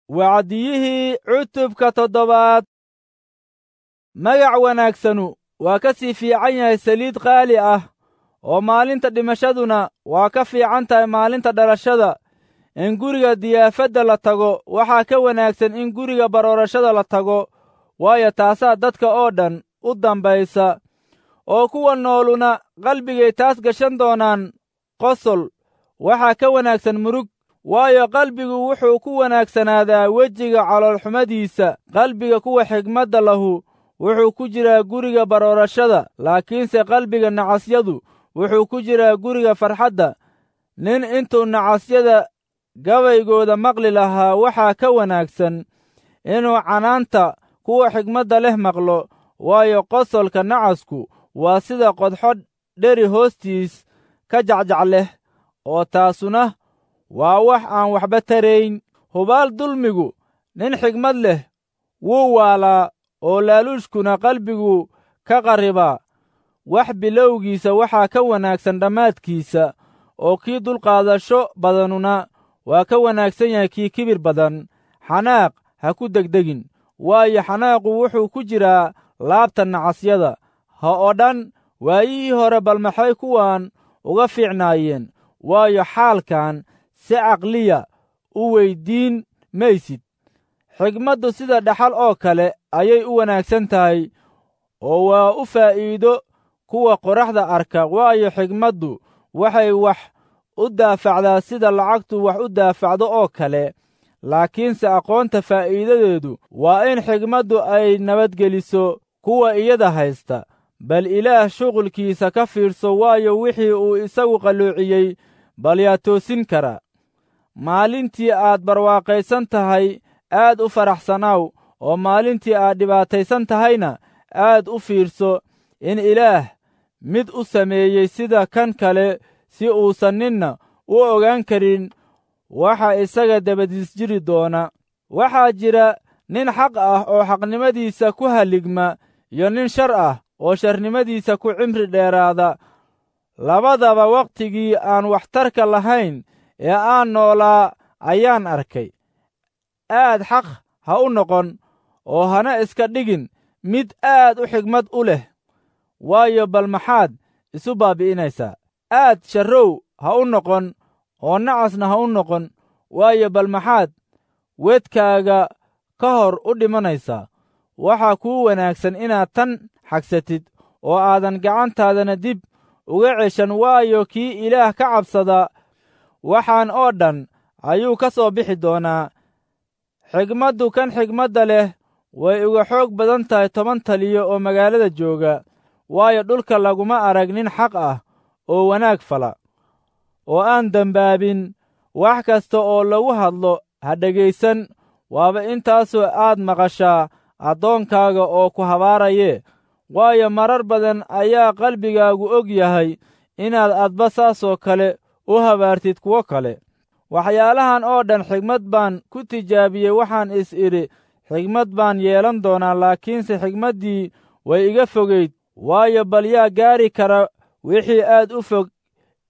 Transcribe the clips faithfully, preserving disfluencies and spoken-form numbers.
Wacdiyihii cutubka toddobaad. Magac wanaagsanu waa ka sii fiican yahay saliid qaali ah, oo maalinta dhimashaduna waa ka fiican tahay maalinta dhalashada. In guriga diyaafadda la tago waxaa ka wanaagsan in guriga baroorashada la tago, waayo taasaa dadka oo dhan u dambaysa, oo kuwa nooluna qalbigay taas gashan doonaan. Qosol waxaa ka wanaagsan murug, waayo qalbigu wuxuu ku wanaagsanaadaa wejiga caloolxumadiisa. Qalbiga kuwa xigmadda lahu wuxuu ku jiraa guriga baroorashada, laakiinse qalbiga nacasyadu wuxuu ku jiraa guriga farxadda. Nin intuu nacasyada gabaygooda maqli lahaa waxaa ka wanaagsan inuu canaanta kuwa xigmadda leh maqlo, waayo qosolka nacasku waa sida qodxo dheri hoostiis ka jacjac leh, oo taasuna waa wax aan waxba tarayn. Hubaal dulmigu nin xigmad leh wuu waalaa, oo laaluushkuna qalbigu ka qarribaa. Wax bilowgiisa waxaa ka wanaagsan dhammaadkiisa, oo kii dulqaadasho badanuna waa ka wanaagsan yahay kii kibir badan. Xanaaq ha ku degdegin, waayo xanaaqu wuxuu ku jiraa laabta nacasyada. Ha odhan waayihii hore bal maxay kuwan uga fiicnaayeen, waayo xaalkan si caqliya u weyddiin maysid. Xigmaddu sida dhaxal oo kale ayay u wanaagsan tahay, oo waa u faa'iido kuwa qorraxda arka, waayo xigmaddu waxay wax u daafacdaa sida lacagtu wax u daafacdo oo kale. Laakiinse aqoonta faa'iidadeedu waa in xigmaddu ay nabadgeliso kuwa iyada haysta. Bal Ilaah shuqulkiisa ka fiirso, waayo wixii uu isagu qalloociyey bal yaa toosin kara. Maalintii aad barwaaqaysan tahay aad u faraxsanaaw, oo maalintii aad dhibaataysan tahayna aad u fiirso in Ilaah mid u sameeyey sida kan kale, si uusan ninna u ogaan karin waxa isaga dabadiis jiri doona. Waxaa jira nin xaq ah oo xaqnimadiisa ku halligma, iyo nin shar ah oo sharnimadiisa ku cimri dheeraada. Labadaba wakhtigii aan waxtarka lahayn ee aan noolaa ayaan arkay. Aad xaq ha u noqon, oo hana iska dhigin mid aad u xigmad u leh, waayo bal maxaad isu baabbi'inaysaa? Aad sharrow ha u noqon, oo nacasna ha u noqon, waayo bal maxaad wedkaaga ka hor u dhimanaysaa? Waxaa kuu wanaagsan inaad tan xagsatid, oo aadan gacantaadana dib uga ceshan, waayo kii Ilaah ka cabsada waxaan oo dhan ayuu ka soo bixi doonaa. Xigmaddu kan xigmadda leh way uga xoog badan tahay toban taliyo oo magaalada jooga, waayo dhulka laguma arag nin xaq ah oo wanaag fala, oo aan dembaabin. Wax kasta oo lagu hadlo ha dhegaysan, waaba intaasoo aad maqashaa addoonkaaga oo ku habaaraye. Waayo marar badan ayaa qalbigaagu og yahay inaad adba saasoo kale u habaartid kuwo kale. Waxyaalahan oo dhan xigmad baan ku tijaabiyey, waxaan is idhi xigmad baan yeelan doonaa, laakiinse xigmaddii way iga fogayd. Waayo bal yaa gaari kara wixii aad u fog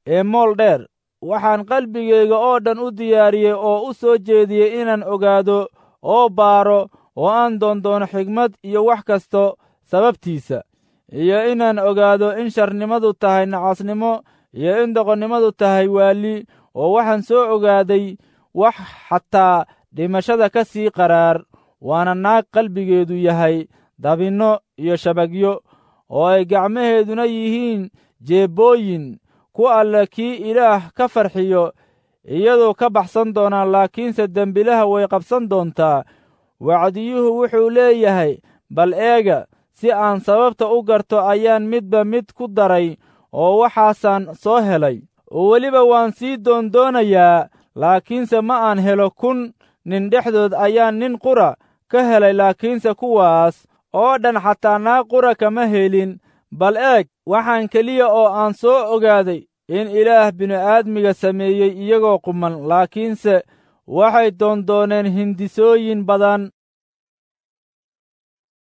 ee mool dheer? Waxaan qalbigayga oo dhan u diyaariyey oo u soo jeediyey inaan ogaado oo baaro oo aan doondoono xigmad iyo wax kasta sababtiisa, iyo inaan ogaado in sharnimadu tahay nacasnimo iyo in doqonnimadu tahay waalli. Oo waxaan soo ogaaday wax xataa dhimashada ka sii qaraar, waana naag qalbigeedu yahay dabinno iyo shabagyo, oo ay gacmaheeduna yihiin jeebbooyin. Ku alle kii Ilaah ka farxiyo iyaduu ka baxsan doonaa, laakiinse dembilaha way qabsan doontaa. Wacdiyuhu wuxuu leeyahay, bal eega, si aan sababta u garto ayaan midba mid ku daray, oo waxaasaan soo helay. Oo weliba waan sii doondoonayaa, laakiinse ma aan helo. Kun nin dhexdood ayaan nin qura ka helay, laakiinse kuwaas oo dhan xataa naag qura kama helin. Bal eeg, waxaan keliya oo aan soo ogaaday in Ilaah bini'aadmiga sameeyey iyagoo quman, laakiinse waxay doondooneen hindisooyin badan.